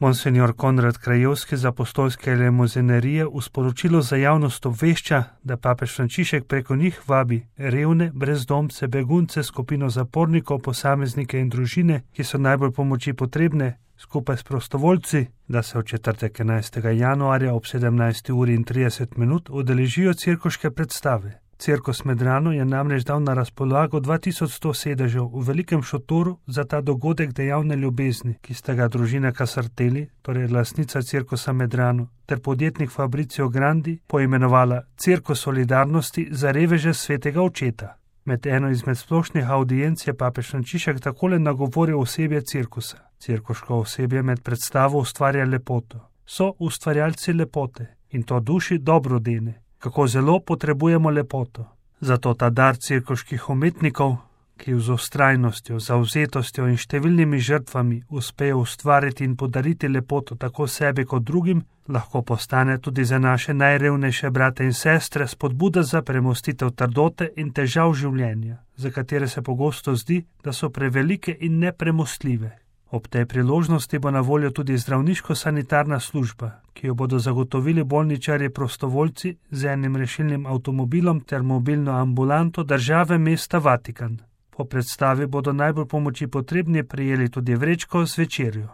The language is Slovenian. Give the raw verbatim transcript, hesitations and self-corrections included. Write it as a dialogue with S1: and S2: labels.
S1: Monsignor Konrad Krajewski z apostolske limuzinerije v sporočilu za javnost obvešča, da papež Frančišek preko njih vabi revne, brezdomce, begunce, skupino zapornikov, posameznike in družine, ki so najbolj pomoči potrebne, skupaj s prostovoljci, da se v četrtek enajstega januarja ob sedemnajsti uri in trideset minut udeležijo cirkoške predstave. Cirkus Medrano je namreč dal na razpolago dva tisoč sto sedežev v velikem šotoru za ta dogodek dejavne ljubezni, ki sta ga družina Casartelli, torej lastnica cirkusa Medrano, ter podjetnik Fabrizio Grandi poimenovala Cirkus solidarnosti za reveže svetega očeta. Med eno izmed splošnih audienc je papež Frančišek takole nagovoril osebje cirkusa. Cirkuško osebje med predstavo ustvarja lepoto. So ustvarjalci lepote in to duši dobrodene. Kako zelo potrebujemo lepoto. Zato ta dar cirkuških umetnikov, ki z vztrajnostjo, zavzetostjo in številnimi žrtvami uspejo ustvariti in podariti lepoto tako sebi kot drugim, lahko postane tudi za naše najrevnejše brate in sestre spodbuda za premostitev trdote in težav življenja, za katere se pogosto zdi, da so prevelike in nepremostljive. Ob tej priložnosti bo na voljo tudi zdravniško-sanitarna služba, ki jo bodo zagotovili bolničarji prostovoljci z enim rešilnim avtomobilom ter mobilno ambulanto države mesta Vatikan. Po predstavi bodo najbolj pomoči potrebni prijeli tudi vrečko z večerjo.